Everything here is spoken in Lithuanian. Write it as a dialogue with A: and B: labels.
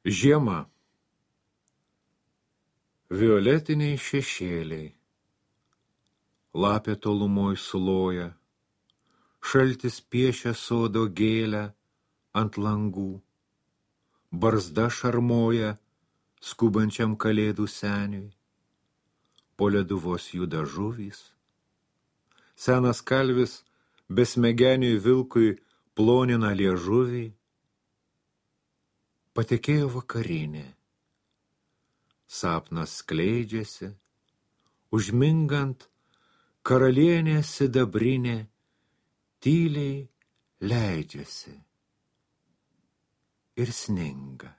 A: Žiema. Violetiniai šešėliai. Lapė tolumoj suloja. Šaltis piešia sodo gėlę ant langų. Barzda šarmoja skubančiam kalėdų seniui. Po leduvos juda žuvys. Senas kalvis besmegeniui vilkui plonina liežuvį. Patekėjo vakarinė. Sapnas skleidžiasi, užmingant karalienė sidabrinė tyliai leidžiasi ir sninga.